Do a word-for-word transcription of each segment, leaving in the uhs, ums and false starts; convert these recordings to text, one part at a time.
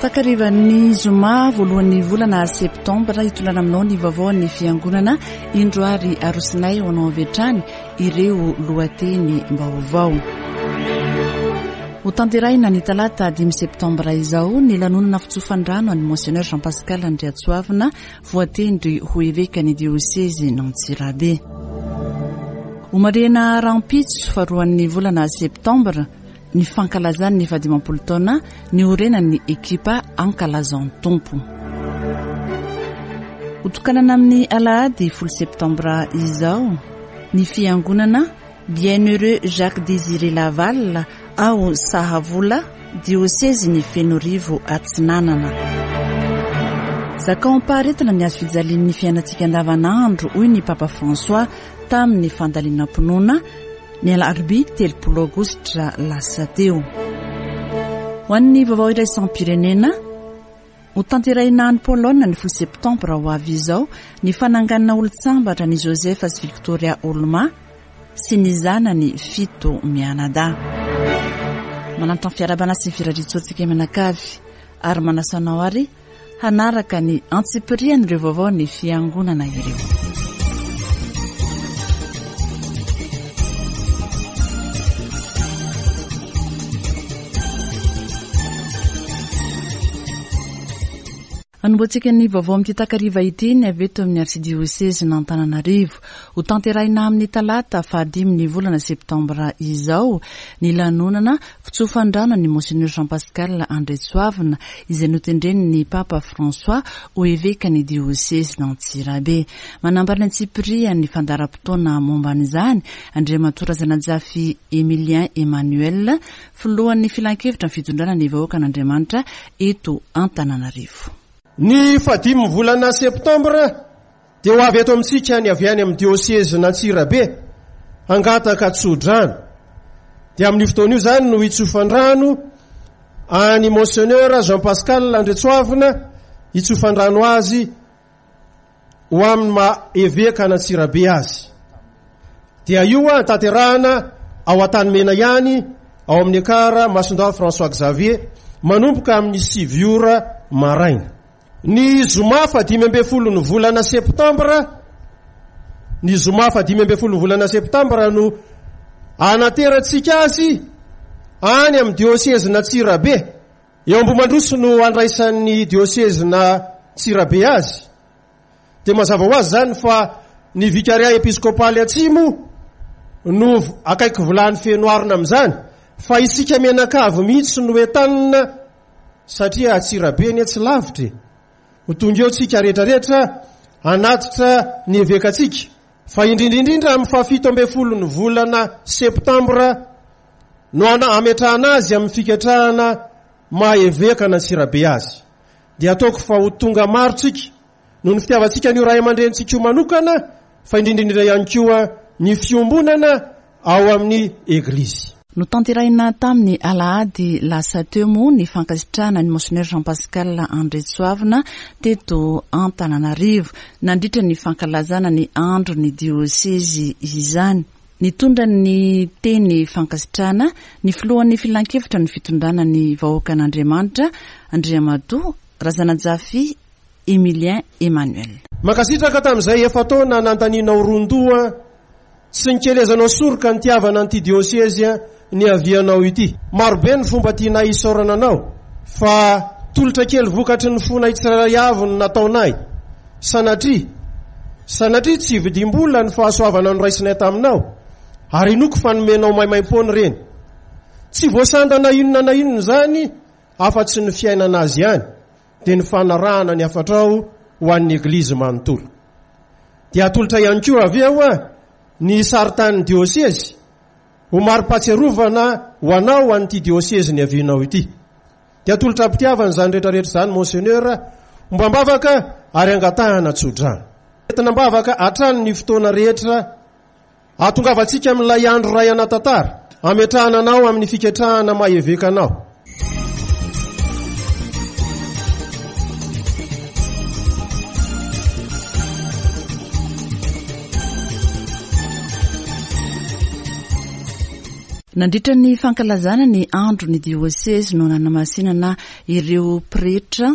Takarivan'ny zoma voalohan'ny volana septambra, hitondrana aminao ny vaovaon'ny fiangonana. Indro ary arosinay ho anao avy hatrany ireo lohateny vaovao. Ho tanterahina ny talata dimy septambra izao ny lanonana fitsofan-drano an'i Monseigneur Jean Pascal Andriatsoavina, voatendry ho eveka ny diosezy n'Antsirabe. Ho marihina rahampitso faharoan'ny volana septambra ny fankalazany ny fahadimampolo taona niorenan'ny ekipa Ankalazao ny Tompo. Hotokanana amin'ny alahady folo septambra izao ny fiangonana Bienheureux Jacques Désiré Laval ao Sahavola, diosezy ny Fenoarivo Atsinanana. Zakao am-paharetana ny hazo fijalian'ny fiainantsika andavanandro, hoy ny Papa François tamin'ny fandalinam-pinoana ny alarobia telopolo aogositra lasa teo. Ho an'ny vaovao iraisam-pirenena, ho tanterahina any Polonina ny folo septambra ho avy izao ny fananganana olon-tsambatra ny Joseph sy Victoria Olma sy ny zanany fito mianadahy. Manantitra ny fiarahabana sy ny firariantsoantsika mianakavy ary manasa anao ary hanaraka ny antsipirian'ireo vaovao ny fiangonana ireo. Anombohantsika ny vaovao amin'ity takariva ity ny avy eto amin'ny arsidiosezy n'Antananarivo. Ho tanterahina amin'ny talata fahadimy ny volana septambra izao ny lanonana fitsofan-drano ny Monseigneur Jean Pascal Andriatsoavina, izay notendren'ny Papa François ho eveka ny diosezy n'Antsirabe. Manambara ny antsipirian'ny fandaharam-potoana momba an'izany Andriamatoa Razanajafy Emilien Emmanuel, filohan'ny filankevitra ny fitondrana ny vahoakan'Andriamanitra eto Antananarivo. Ny fahadimy volana septambra dia ho avy eto amintsika ny avy any amin'ny diosezy n'Antsirabe hangataka tsodrano. Dia amin'io fotoana io izany no hitsofan-drano any Monseigneur Jean Pascal Andriatsoavina, hitsofan-drano azy ho amin'ny maha eveka an'Antsirabe azy. Dia io tanterahana ao Antanimena ihany, ao amin'ny Ekara Masondahy François Xavier, manomboka amin'ny sivy ora maraina. Ny zoma fahadimy ambin'ny folo ny volana septambra, ny zoma fahadimy ambin'ny folo ny volana septambra no anaterantsika azy any amin'ny diosezy n'Antsirabe. Eo Ambohimandroso no andraisan'ny diosezy n'Antsirabe azy. Dia mazava ho azy izany fa ny vikaria episkopaly atsimo no akaiky vilany feno arina amin'izany, fa isika mianakavy mihitsy no entanina satria Antsirabe anie tsy lavitra e. Ho tonga eo tsika rehetrarehetra hanatitra ny evekantsika, fa indrindra indrindra amin'ny fahafito ambin'ny folo ny volana septambra no ametrahana azy amin'ny fiketrahana maha eveka an'Antsirabe azy. Dia ataoko fa ho tonga maro tsika noho ny fitiavantsika an'io ray aman-drenintsika io manokana, fa indrindra indrindra ihany koa ny fiombonana ao amin'ny eglizy. Notanterahina tamin'ny alahady lasa teo moa ny fankasitrahana ny Monseigneur Jean Pascal Andriatsoavina teto Antananarivo nandritra ny fankalazana ny andro ny diosezy izany. Nitondra ny teny fankasitrahana ny filohan'ny filankevitra ny fitondrana ny vahoakan'Andriamanitra, Andriamatoa Razanajafy Emilien Emmanuel. Mankasitraka tamin'izay efa-taona nanontanianao ron-doha sy nikelezanao soroka nitiavana an'ity diosezy niavianao ity. Marobe ny fomba tianay isaorana anao, fa tolotra kely vokatry ny fonay tsirairay avy no nataonay. Sanatria, sanatria tsy vidim-bola ny fahasoavana noraisinay taminao, ary inoako fa nomenao maimaimpoana ireny. Tsy voasanda na inona na inona izany afa-tsy ny fiainana azy ihany, dia ny fanarahana ny hafatrao ho an'ny eglizy manontolo. Dia atolotra ihany koa avy eo ny saritanin'ny diosezy ho mari-pahatsiarovana ho anao an'ity diosezy niavianao ity. Dia atolotra am-pitiavana izany rehetrarehetra izany, Monseigneur, ombam-bavaka ary angatahana tsodrano. Entina am-bavaka hatrany ny fotoana rehetra ahatongavantsika amin'ilay andro iray ana-tantara, ametrahana anao amin'ny fiketrahana maha eveka anao. Nandritra ny fankalazana ny andro ny diosezy no nanamasinana ireo pretra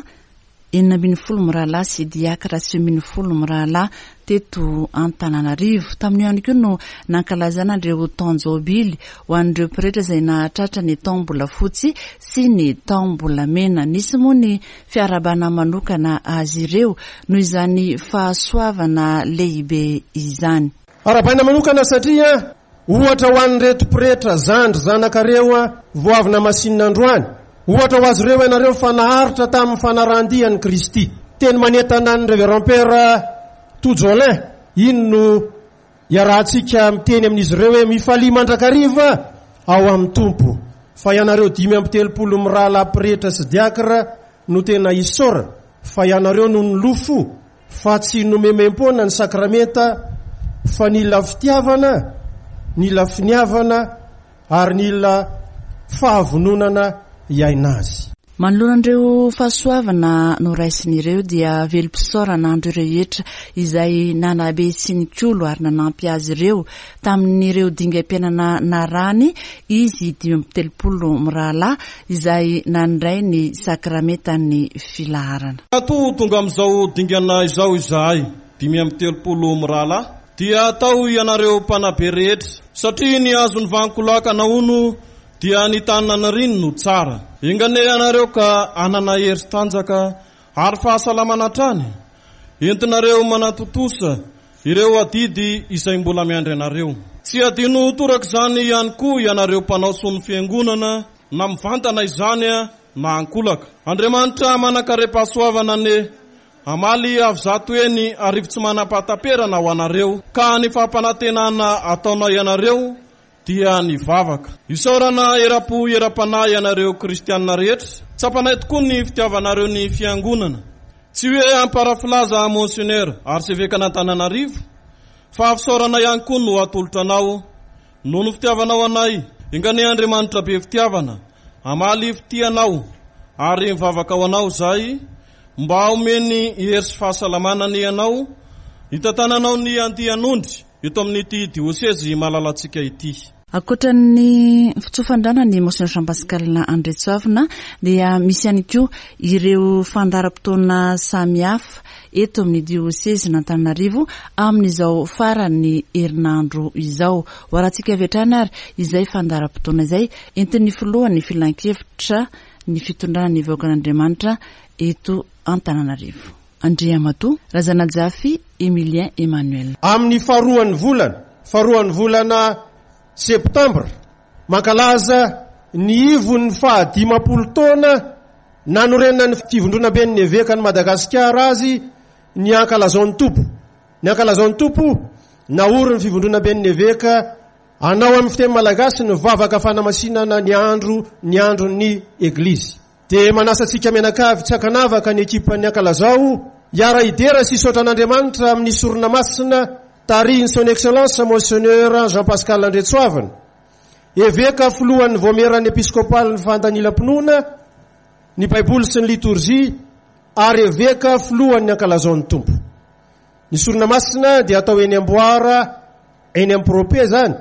enina ambin'ny folo mirahalahy sy diakra sivy ambin'ny folo mirahalahy teto Antananarivo. Tamin'io ihany koa no nankalazana ireo taon-jobily ho an'ireo pretra izay nahatratra ny taom-bolafotsy sy ny taom-bolamena. Nisy moa ny fiarahabana manokana azy ireo noho izany fahasoavana lehibe izany. Arahabaina manokana satria ohatra ho an'ireto pretra zandry zanakareo vao avy namasinina androany. Ohatra ho azy ireo ianareo fa naharitra tamin'ny fanarahan-dia an'i Kristy. Teny manentana ny Révérend Père Tojolin, iny no iarahantsika miteny amin'izy ireo hoe mifalia mandrakariva ao amin'ny Tompo. Fa ianareo dimy amby telopolo mirahalahy pretra sy diakra no tena isaorana, fa ianareo no nilofo fa tsy nomemem-poana ny sakramenta, fa nila fitiavana, nila finiavana ary nila fahavononana hiaina azy. Manoloana ireo fahasoavana noraisin'ireo dia velom-pisaorana andro rehetra izay nanabe sy nikolo ary nanampy azy ireo tamin'ireo dingam-piainana narany izy dimy amby telopolo mirahalahy izay nandray ny sakramentan'ny filaharana. Matoa tonga amin'izao dingana izao izahay dimy amby telopolo mirahalahy dia atao ianareo mpanabe rehetra satria ny azon'ny vankolakana hono dia ny tanana riny no tsara. Engane ianareo ka hanana hery tanjaka ary fahasalamana hatrany. Entinareo manatontosa ireo adidy izay mbola miandry anareo. Tsy adino toraka izany ihany koa ianareo mpanao soa ny fiangonana na mivantana izany na ankolaka. Andriamanitra manan-karem-pahasoavana anie hamaly avy zato eny arivo tsy manam-pahataperana ho anareo ka ny fampanantenana ataonao ianareo dia ny vavaka. Isaorana eram-po eram-panahy ianareo kristianina rehetra. Tsapanay tokoa ny fitiavanareo ny fiangonana. Tsy hoe amparafilaza Monseigneur arsevekan'Antananarivo fa fisaorana ihany koa no atolotra anao noho ny fitiavanao anay. Enganie Andriamanitra be fitiavana hamaly fitianao ary mivavaka ho anao izay mba homeny hery sy fahasalamana ny anao hitantananao ny andian'ondry eto amin'ity diosezy malalantsika ity. Ankoatra ny fitsofandrana ny Monseigneur Jean Pascal Andriantsoavina dia misy ihany koa ireo fandaharam-potoana samihafa eto amin'ny diosezin'Antananarivo amin'izao faran'ny herinandro izao. Ho arahantsika avy hatrany ary izay fandaharam-potoana izay entin'ny filohan'ny filankevitra ny fitondrana ny vahoakan'Andriamanitra eto Antananarivo. Andriamatoa Razanajafy Emilien Emmanuel. Amin'ny faharoan'ny volana, faharoan'ny volana septambra, mankalaza ny ivon'ny fahadimampolo taona nanorenan'ny fivondronamben'ny evekan'i Madagasikara azy ny ankalazao Tompo. Ny ankalazao Tompo naorin'ny fivondronamben'ny eveka anao amin'ny fiteny malagasy ny vavaka fanamasinana ny andro ny andron'ny eglizy. Dia manasa antsika mianakavy tsy ankanavaka ny ekipan'ny ankalazao hiara-hidera sy hisaotra an'Andriamanitra amin'ny sorona masina tarihin'ny Son Excellence Monseigneur Jean Pascal Andriantsoavina, eveka filohan'ny vaomieran'ny episkopalin'ny fandanilam-pinoana, ny Baiboly sy ny litorjia ary eveka filohan'ny ankalazao ny Tompo. Ny sorona masina dia atao eny Amboara, eny Amprope zany,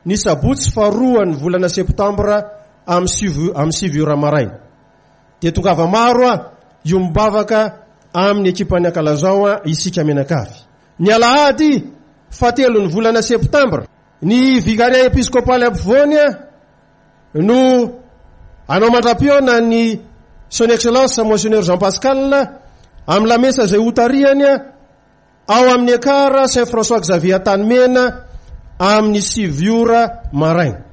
ny sabotsy faharoan'ny volana septambra amin'ny sivy amin'ny sivy ora maraina. Dia tongava maro a iombavaka amin'ny ekipan'ny ankalazao a isika mianakavy. Ny alahady fahatelo ny volana septambra, ny vicaria episkopaly ampovoany a no anao mandra-pihaona ny Son Excellence Monseigneur Jean Pascal amin'ny lamesa izay hotarihany a ao amin'ny Ekara Saint François Xavier Antanimena amin'ny sivy ora maraina.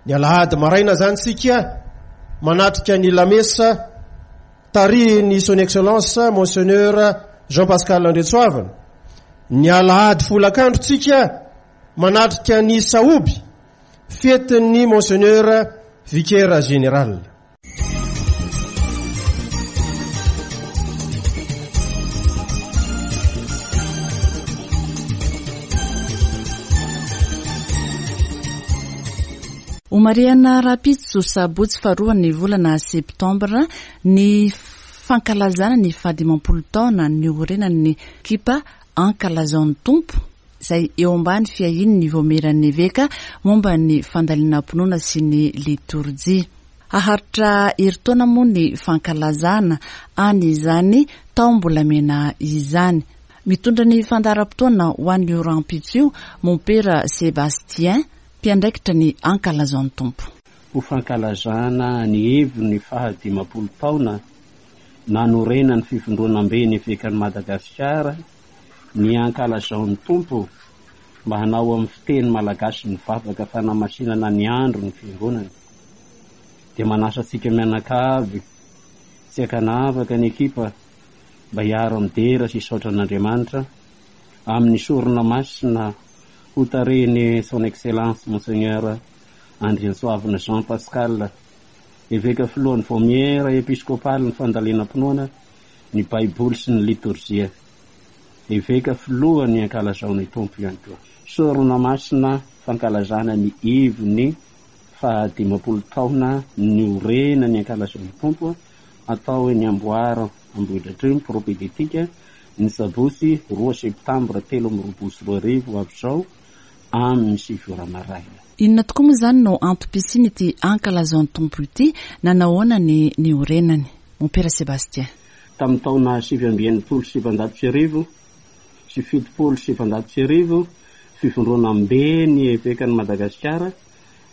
Ny alahady maraina zany sika manatrika ny lamesa tarihin'ny Son Excellence Monseigneur Jean Pascal Andriantsoavina. Ny alahady folakandro tsika manatrika ny sahoby fetin'ny Monseigneur Vicaire Général. Homarihana rahampitso sabotsy faharoan'ny volana septambra ny fankalazana ny fahadimampolo taona niorenan'ny ekipa ankalazao ny Tompo izay eo ambany fiahian'ny Vaomieran'ny Eveka momba ny fandalinam-pinoana sy ny litorjia. Haharitra herintaona moa ny fankalazana an'izany taom-bolamena izany. Mitondra ny fandaharam-potoana ho an'io rahampitso io Mompera Sébastien, mpiandraikitra ny Ankalazao ny Tompo. Ho fankalazana ny heviny fahadimampolo taona nanorenan'ny fivondronambe ny Evekan'i Madagasikara ny Ankalazao ny Tompo mba hanao amin'ny fiteny malagasy ny vavaka fanamasinana ny andro ny fiangonana. Dia manasa antsika mianakavy tsy ankanavaka ny ekipa mba hiaro midera sy hisaotra an'Andriamanitra amin'ny sorona masina ho tarihiny Son Excellence Monseigneur Andriantsoavina Jean Pascal, eveka filohan'ny Vaomiera episkopaly ny fandalinam-pinoana, ny Baiboly sy ny litorjia. Eveka filohan'ny Ankalazao ny Tompo ihany koa. Sorona masina fankalazana ny ivony fahadimampolo taona niorenan'ny Ankalazao ny Tompo atao eny Amboara Ambohidratrimo propédeutique ny sabotsy roa septambra telo amby roapolo sy roa arivo avy izao amin'ny sivy ora maraina. Inona tokoa moa izany no antom-pisiany ity Ankalazao ny Tompo ity, nanahoana ny niorenany? Mompera Sébastien. Tamin'ny taona sivy amby enimpolo sy sivanjato sy arivo sy fitopolo sy sivanjato sy arivo, fivondronambe ny Evekan'i Madagasikara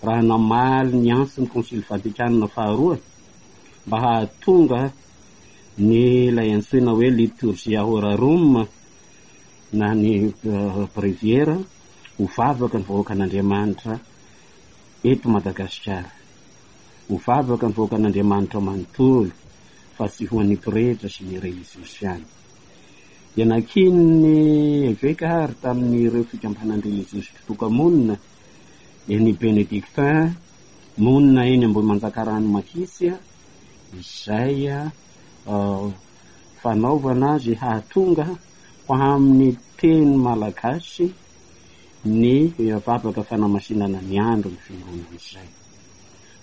raha namaly ny antson'ny Konsily Vatikana faharoa mba hahatonga ny ilay antsoina hoe liturgia horarum na ny bréviaire ho vavaka ny vahoakan'Andriamanitra eto Madagasikara, ho vavaka ny vahoakan'Andriamanitra manontolo fa tsy ho an'ny pretra sy ny religiosy ihany. Dia nakian'ny eveka ary tamin'ireo fikambanan-dreligiosy mpitoka-monina dia ny Bénédictin monina eny Ambohimanjakarano Makitsy izay fanaovana azy hahatonga ho amin'ny teny malagasy ny vavaka fanamasinana ny andro ny fiangonana izay.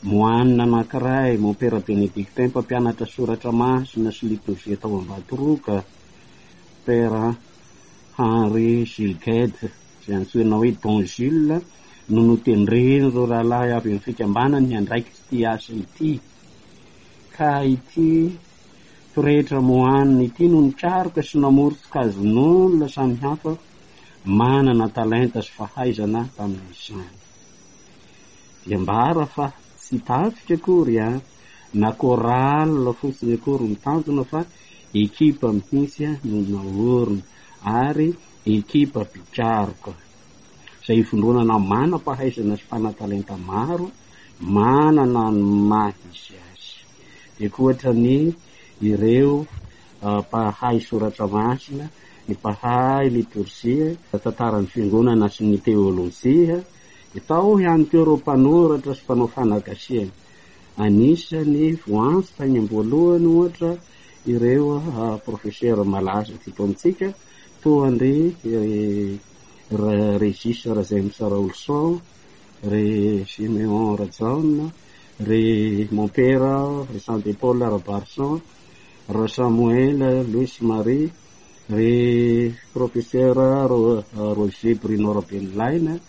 Moanina anankiray, Mompera Bénédictin mpampianatra soratra masina sy litorjia tao Ambatoroka, Père Henri Gilles izay antsoina hoe Don Gilles no notendren'ireo rahalahy avy amin'ny fikambanany hiandraikitra ity asa ity. Ka ity pretra moanina ity no nikaroka sy namory sokajin'olona samihafa manana talenta sy fahaizana tamin'izany. Dia ambara fa tsy tafika akory a, na chorale fotsiny akory ny tanjona fa ekipa mihitsy no naorina ary ekipa mpikaroka izay ivondronana manam-pahaizana sy mpanan-talenta maro manana ny maha izy azy. Dia ankoatra ny ireo mpahay soratra masina, ny mpahay litorjia, tantaran'ny fiangonana sy ny teolojia, dia tao ihany koa ireo mpanoratra sy mpanao fanagasiana. Anisany voantso tany am-boalohany ohatra ireo professeur malaza teto amintsika toa an-dry Régis Rajaimsa Raolison, ry Siméon Rajaona, ry Mompera Vincent de Paul Rabarson, Rasamoel Louis Marie, ry professeur Roger Bruno Rabenolaina,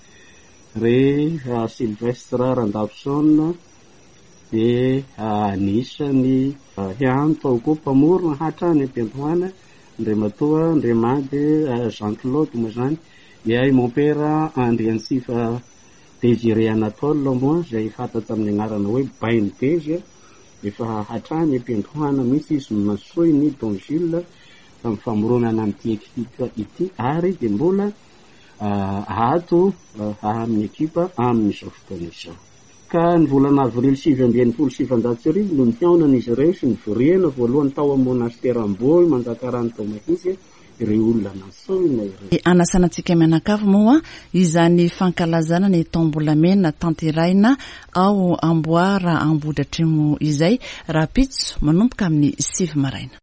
ry Sylvestre Randafson, dia anisany ihany tao koa mpamorona hatrany am-piandohana Andriamatoa Andriamady Jean Claude moa izany, dia i Mompera Andriantsifa Désiré Anatole moa izay fantatra amin'ny anarana hoe Bainy Dezy, efa hatrany am-piandohana mihitsy izy no nasoiny Don Gilles tamin'ny famoronana an'ity ekipa ity ary dia mbola ato amin'ny ekipa amin'izao fotoana izao. Ka ny volana avrily sivy amby enimpolo sy sivanjato sy arivo no nihaonan'izy ireo sy nivoriana voalohany tao amin'ny monastera Ambohimanjakarano tao Mahitsy ireo olona nantsoina ireo. Anasana antsika mianakavy moa izany fankalazana ny taom-bolamena tanterahina ao Amboara Ambohidratrimo izay rahampitso manomboka amin'ny sivy maraina.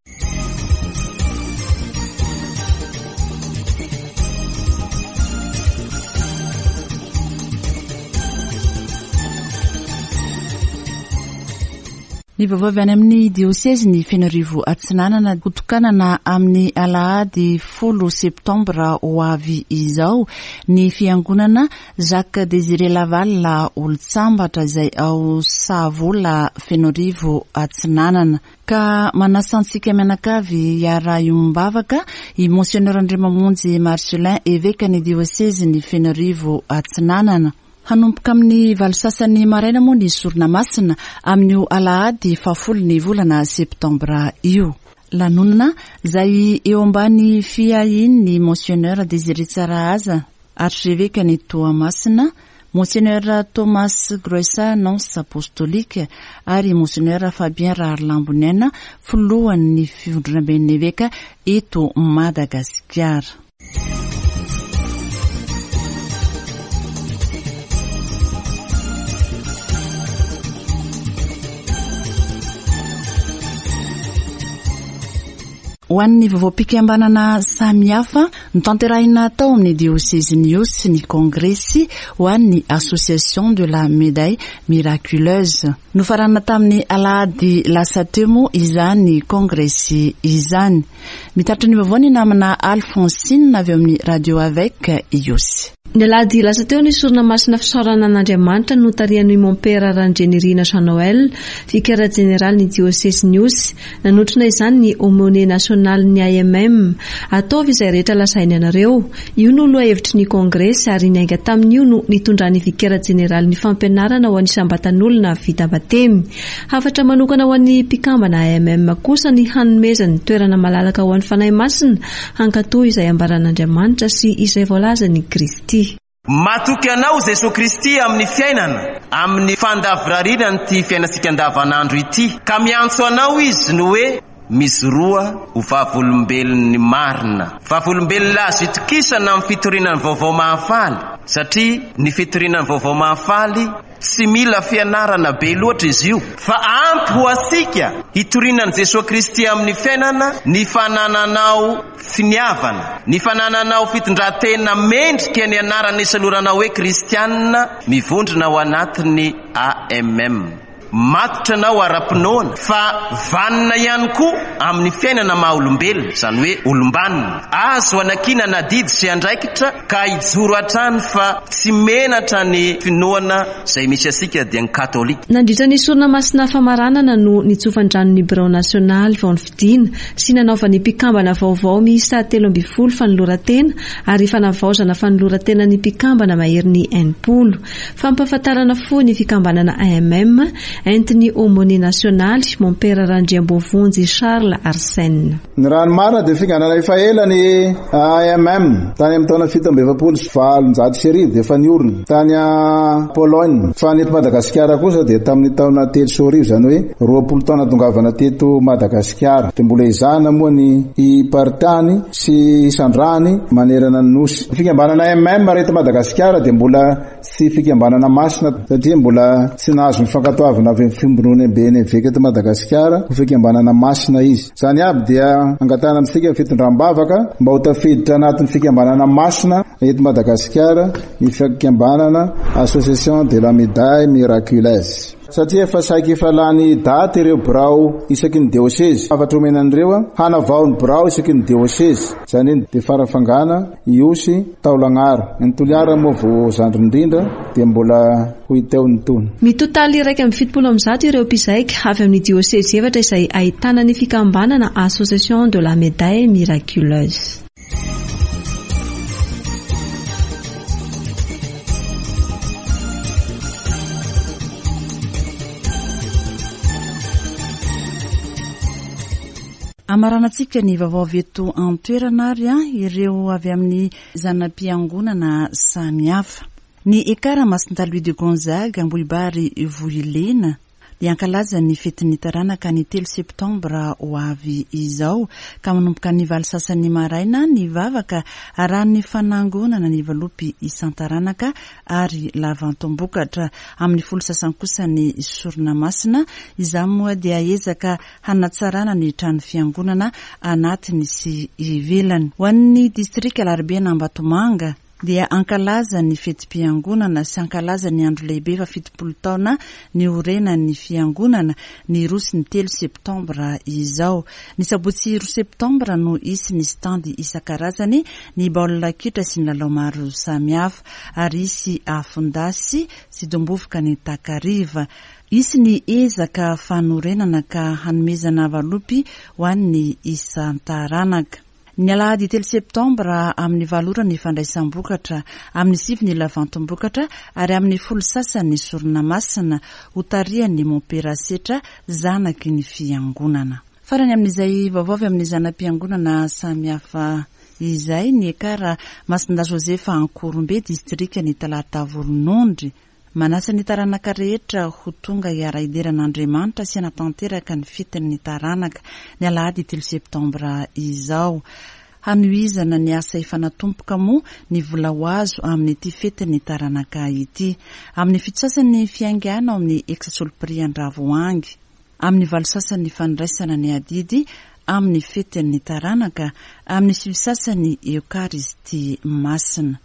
Ny vaovao avy any amin'ny diosezin'i Fenoarivo Atsinanana hotokanana amin'ny alahady folo septambra ho avy izao ny fiangonana Jacques Désiré Laval Olontsambatra izay ao Sahavola Fenoarivo Atsinanana. Ka manasa antsika mianakavy hiara-hiombavaka i Monseigneur Andriamamonjy Marcelin, evekan'ny diosezin'i Fenoarivo Atsinanana. Hanomboka amin'ny valo sasany maraina moa ny sorona masina amin'io alahady fahafolo ny volana septambra io. Lanonana izay eo ambany fiahian'ny Monseigneur Désiré Tsarahaza, archevekan'i Toamasina, Monseigneur Thomas Groessa, nonce apostolique, ary Monseigneur Fabien Raharilamboniaina, filohan'ny fivondronamben'ny eveka eto Madagasikara. Ho an'ny vaovaom-pikambanana samihafa notanterahina tao amin'ny diosezin'i Ihosy ny kongresy ho an'ny Association de la Médaille Miraculeuse. Nofaranana tamin'ny alahady lasa teo moa izany kongresy izany. Mitatitra ny vaovao ny namana Alphonsine avy eo amin'ny Radio Avec Ihosy. Ny alahady lasa teo ny sorona masina fisaorana an'Andriamanitra notarihan'ny Mompera Randrianirina Jean Noël, vicaire jeneraly ny diosezin'i Ihosy. Nanotrona izany ny aumônier national ny A M M. Ataovy izay rehetra lazainy anareo. Io no lohahevitry ny kongresy ary niainga tamin'io no nitondran'ny vicaire jeneraly ny fampianarana ho an'ny isam-batan'olona vita batemy. Hafatra manokana ho an'ny mpikambana A M M kosa ny hanomezany toerana malalaka ho an'ny Fanahy Masina hankatò izay ambaran'Andriamanitra sy izay voalazan'i Kristy. Matoky anao Jesoa Kristy amin'ny fiainana, amin'ny fandavorariana an'ity fiainantsika andavanandro ity, ka miantso anao izy no hoe mizoroa ho vavolombelon'ny marina. Vavolombelona azo itokisana amin'ny fitoriana ny vaovao mahafaly, satria ny fitoriana ny vaovao mahafaly tsy mila fianarana be loatra izy io, fa ampy ho antsika hitoriana an'i Jesoa Kristy amin'ny fiainana ny fanananao finiavana, ny fanananao fitondran-tena mendrika ny anarana isaloranao hoe kristianina mivondrona ao anatin'ny A M M. Matotra anao ara-pinoana fa vanona ihany koa amin'ny fiainana maha olombelona, izany hoe olombanona. Azo anankinana adidy sy andraikitra ka hijoro hatrany fa tsy menatra ny finoana izay misy antsika dia ny katolika. Nandritra ny sorona masina famaranana no nitsofan-drano ny birao nasionaly vao nifidiana sy nanaovan'ny mpikambana vaovao miisa telo ambin'ny folo fanoloran-tena ary fanavaozana fanoloran-tena ny mpikambana maherin'ny enimpolo. Fampahafantarana fohy ny fikambanana A M M entin'ny aumônier nasionaly Mompera Randriamboavonjy Charles Arsène. Ny raha ny marina dia fikambanana efa ela ny A M M tany amin'ny taona fito amby efapolo sy valonjato sy arivo dia efa niorina tany Pologne, fa ny eto Madagasikara kosa dia tamin'ny taona telo sy arivo, izany hoe roapolo taona tongavana teto Madagasikara. Dia mbola ezahana moa ny hiparitany sy hisandrahany manerana ny nosy. Ny fikambanana A M M raha eto Madagasikara dia mbola tsy fikambanana masina satria mbola tsy nahazo ny fankatoavana avy amin'ny fiombonamben'ny eveka eto Madagasikara ho fikambanana masina izy. Izany aby dia angatahana amintsika ny fitondram-bavaka mba ho tafiditra anatin'ny fikambanana masina eto Madagasikara ny fikambanana Association de la Médaille Miraculeuse. Satria efa saiky efa lany daty ireo birao isaky ny diosezy. Hafatra omena an'ireo hanavao ny birao isaky ny diosezy. Izany hoe dia Farafangana, Ihosy, Taolagnaro. Ny Toliara moa vao zandriny indrindra dia mbola ho hita eo ny tony. Mitotaly iraika amby fitopolo amby zato ireo mpizaika avy amin'ny diosezy efatra izay ahitana ny fikambanana Association de la Médaille Miraculeuse. Amaranantsika ny vaovao avy eto an-toerana ary ireo avy amin'ny zana-piangonana samihafa. Ny Ekara Masindahy Louis de Gonzague Ambohibary Vohilena dia hankalaza ny fetin'ny taranaka ny telo septambra ho avy izao ka manomboka ny valo sasany maraina ny vavaka arahan'ny fanangonana ny valopy isan-taranaka ary lavantombokatra. Amin'ny folo sasany kosa ny sorona masina. Izany moa dia ezaka hanatsarana ny trano fiangonana anatiny sy ivelany. Ho an'ny distrika Alarobia Ambatomanga dia hankalaza ny fetim-piangonana sy hankalaza ny andro lehibe fa fitopolo taona niorenan'ny fiangonana ny roa sy ny telo septambra izao. Ny sabotsy roa septambra no hisy ny stand isan-karazany, ny baolina kitra sy ny lalao maro samihafa, ary hisy afon-dasy sy dombovoka ny takariva. Hisy ny ezaka fanorenana ka hanomezana valopy ho an'ny isan-taranaka. Ny alahady telo septambra amin'ny valo ora ny fandraisam-bokatra, amin'ny sivy ny lavantim-bokatra ary amin'ny folo sasany ny sorona masina hotarihan'ny Mompera Setra zanaky ny fiangonana. Farany amin'izay vaovao avy amin'ny zana-piangonana samihafa izay, ny Ekara Masindahy Josefa Ankorombe, distrikan'i Talata Volonondry. Manasa ny taranaka rehetra ho tonga hiara-hidera an'Andriamanitra sy hanatanteraka ny fetin'ny taranaka ny alahady telo septambra izao. Hanohizana ny asa efa natomboka moa ny vola ho azo amin'ity fetin'ny taranaka ity. Amin'ny fito sasany ny fiaingàna ao amin'ny Ex-Solpri Andravoahangy. Amin'ny valo sasany ny fandraisana ny adidy amin'ny fetin'ny taranaka, amin'ny sivy sasany Eokaristia masina.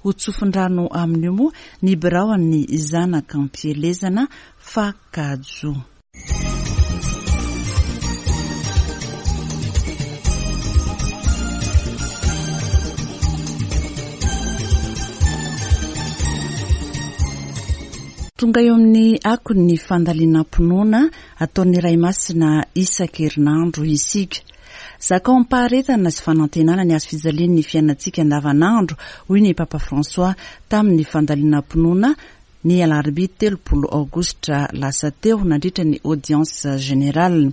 Ho tsofin-drano amin'io moa ny biraon'ny zanaka ampielezana Fakajo. Tonga eo amin'ny akon'ny fandalinam-pinoana ataon'ny Ray Masina isan-kerinandro isika. Zakao am-paharetana sy fanantenana ny hazo fijalian'ny fiainantsika andavanandro, hoy ny Papa François tamin'ny fandalinam-pinoana ny alarobia telopolo aogositra lasa teo nandritra ny audience générale.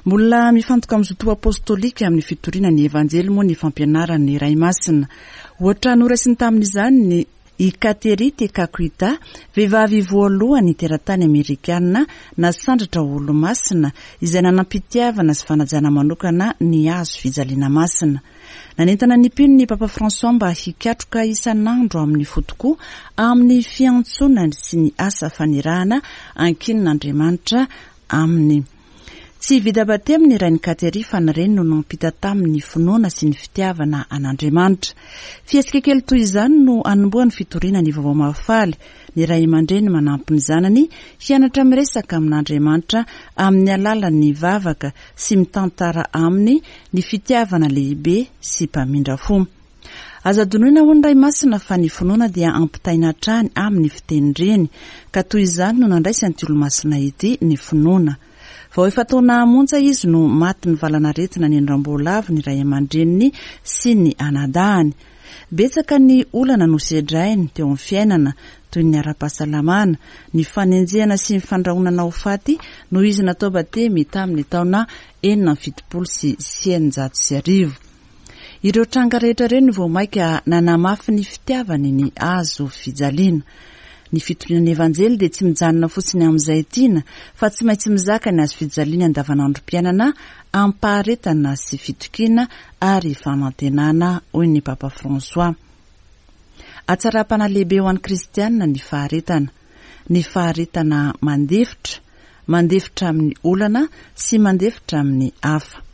Mbola mifantoka amin'ny zoto apostolika amin'ny fitoriana ny evanjely moa ny fampianaran'ny Ray Masina. Ohatra noraisiny tamin'izany ny i Kateri Tekakwitha, vehivavy voalohany teratany amerikana nasandratra ho olomasina, izay nanam-pitiavana sy fanajana manokana ny hazo fijaliana masina. Nanentana ny mpino ny Papa François mba hikatroka isan'andro amin'ny fo tokoa amin'ny fiantsonany sy ny asa fanirahana ankinin'Andriamanitra aminy. Tsy vita batemy ny rain'i Kateri fa ny reny no nampita tamin'ny finoana sy ny fitiavana an'Andriamanitra. Fihetsika kely toy izany no anombohan'ny fitoriana ny vaovao mahafaly. Ny ray aman-dreny manampy ny zanany hianatra miresaka amin'Andriamanitra amin'ny alalan'ny vavaka sy mitantara aminy ny fitiavana lehibe sy mpamindra fo. Aza adinoina ho ny Ray Masina fa ny finoana dia ampitaina hatrany amin'ny fitenin-dreny, ka toy izany no nandraisan'ity olomasina ity ny finoana. Vao efa taona monja izy no maty ny valanaretina ny andramboalavy ny ray aman-dreniny sy ny anadahany. Betsaka ny olana nosedrainy teo amin'ny fiainana, toy ny ara-pahasalamana, ny fanenjehana sy ny fandrahonana ho faty noho izy natao batemy tamin'ny taona enina amby fitopolo sy eninjato sy arivo. Ireo tranga rehetra ireo no vao mainka nanamafy ny fitiavany ny hazo fijaliana. Ny fitoriana ny evanjely dia tsy mijanona fotsiny amin'izay tiana, fa tsy maintsy mizaka ny hazo fijaliana andavanandrom-piainana am-paharetana sy fitokiana ary fanantenana, hoy ny Papa François. Hatsaram-panahy lehibe ho an'ny kristianina ny faharetana. Ny faharetana mandefitra, mandefitra amin'ny olana sy mandefitra amin'ny hafa.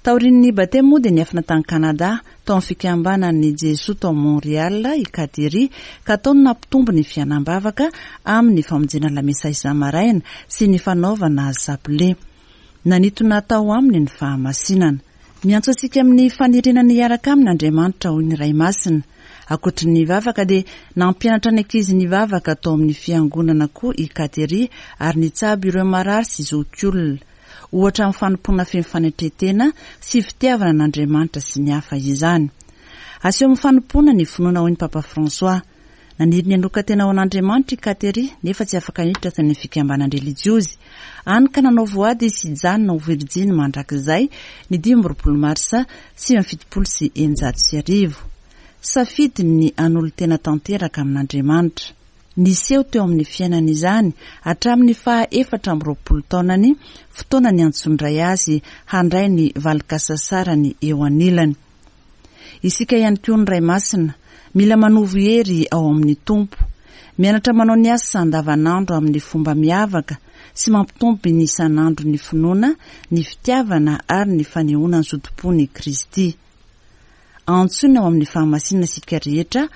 Taorian'ny batemy moa dia niafina tany Kanada, tao amin'ny fikambanan'ny Jesoa tao Montréal i Kateri, ka tao no nampitombo ny fiainam-bavaka amin'ny famonjena lamesa isa-maraina sy ny fanaovana sapile. Nanintona tao aminy ny fahamasinana. Miantso antsika amin'ny faniriana ny hiaraka aminy Andriamanitra, hoy ny Ray Masina. Ankoatry ny vavaka dia nampianatra ny ankizy ny vavaka tao amin'ny fiangonana koa i Kateri ary nitsabo ireo marary sy zokiolona. Ohatra amin'ny fanompoana feno fanetren-tena sy fitiavana an'Andriamanitra sy ny hafa izany. Aseho amin'ny fanompoana ny finoana, hoy ny Papa François. Naniry ny hanokan-tena ho an'Andriamanitra i Kateri, nefa tsy afaka niditra tany amin'ny fikambanan-drelijiozy. Hany ka nanao voady izy hijanona ho virjiny mandrakizay ny dimy amby roapolo marsa sivy amby fitopolo sy eninjato sy arivo. Safidiny ny hanolo-tena tanteraka amin'Andriamanitra. Niseho teo amin'ny fiainana izany hatramin'ny faha efatra amby roapolo taonany, fotoana niantsondray azy handray ny valin-kasasarany eo anilany. Isika ihany koa ny Ray Masina, mila manovo hery ao amin'ny Tompo. Mianatra manao ny asa andavanandro amin'ny fomba miavaka sy mampitombo ny isan'andro ny finoana, ny fitiavana ary ny fanehoana ny zotom-pon'i Kristy. Antsoina ao amin'ny fahamasinana isika rehetra,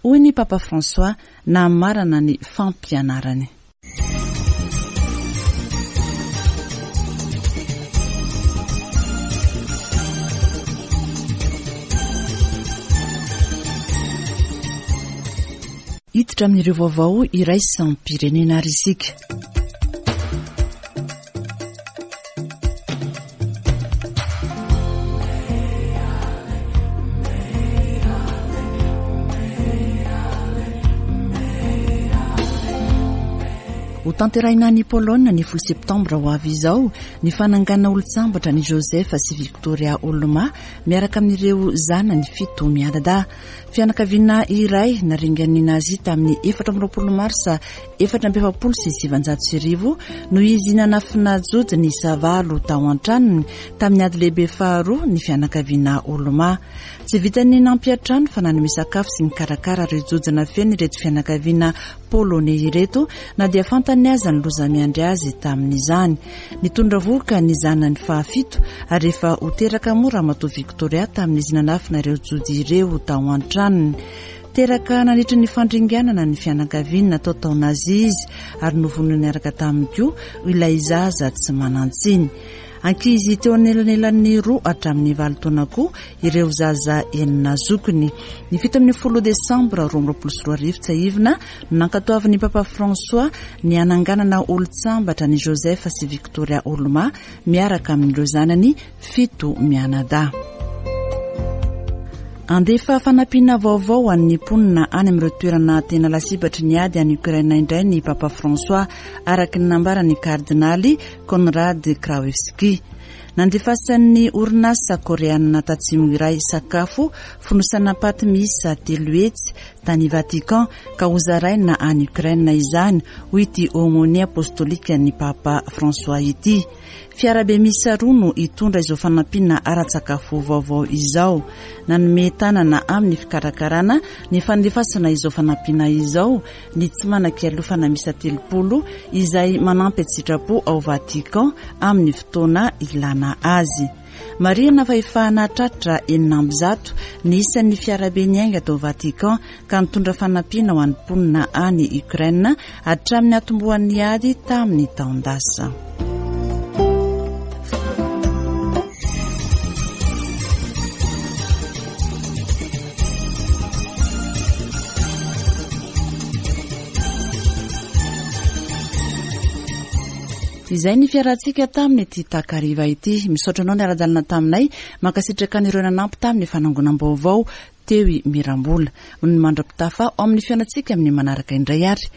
hoy ny Papa François namarana ny fampianarany. Hiditra amin'ireo vaovao iraisam-pirenena ary isika. Ho tanterahina any Pologne ny folo septambra ho avy izao ny fananganana olon-tsambatra ny Joseph sy Victoria Olma miaraka amin'ireo zanany fito mianadahy. Fianakaviana iray naringan'ny Nazi tamin'ny efatra amby roapolo marsa efatra amby efapolo sy sivanjato sy arivo noho izy nanafina jody niisa valo tao an-tranony tamin'ny ady lehibe faharoa ny fianakaviana Olma. Tsy vitan'ny nampiantrano fa nanome sakafo sy nikarakara ireo jody nafenina ireto fianakaviana polonais ireto na dia fantany aza ny loza miandry azy tamin'izany. Nitondra vohoka ny zanany fahafito ary efa ho teraka moa Ramatoa Victoria tamin'izy nanafina ireo jody ireo tao an-tranony. Teraka nandritra ny fandringanana ny fianakaviana natao tao Nazi izy ary novonoina niaraka taminy koa ilay zaza tsy manan-tsiny. Ankizy teo anelanelan'ny roa hatramin'ny valo taona koa ireo zaza enina zokiny. Ny fito ambin'ny folo desambra roa amby roapolo sy roa arivo tsiahivina no nankatoavin'ny Papa François ny hananganana olon-tsambatra ny Joseph sy Victoria Olma miaraka amin'ireo zanany fito mianadahy. Andefa fanampiana vaovao ho an'ny mponina any amin'ireo toerana tena lasibatry ny ady any Ukraine indray ny Papa François, araka ny nambaran'ny kardinaly Konrad Krajewski. Nandefasan'ny orinasa koreanina tatsimo iray sakafo fonosana paty miisa telo hetsy tany Vatican ka hozaraina any Ukraine izany, hoy ity aumônier apostolika ny Papa François ity. Fiarabe miisa roa no hitondra izao fanampiana ara-tsakafo vaovao izao. Nanome tanana amin'ny fikarakarana ny fandefasana izao fanampiana izao ny tsy manan-kialofana miisa telopolo izay manampy an-tsitrapo ao Vatican amin'ny fotoana ilana azy. Marihana fa efa nahatratra enina amby zato ny isan'ny fiarabe niainga tao Vatican ka nitondra fanampiana ho an'ny mponina any Ukraine hatramin'ny atombohan'ny ady tamin'ny taon-dasa. Izay ny fiarantsika tamin'ny ity takariva ity. Misaotra anao niara-dalana taminay, mankasitraka an'ireo nanampy tamin'ny fanangonam-baovao teo i Mirambola. Ny mandra-pitafa ao amin'ny fiainantsika amin'ny manaraka indray ary.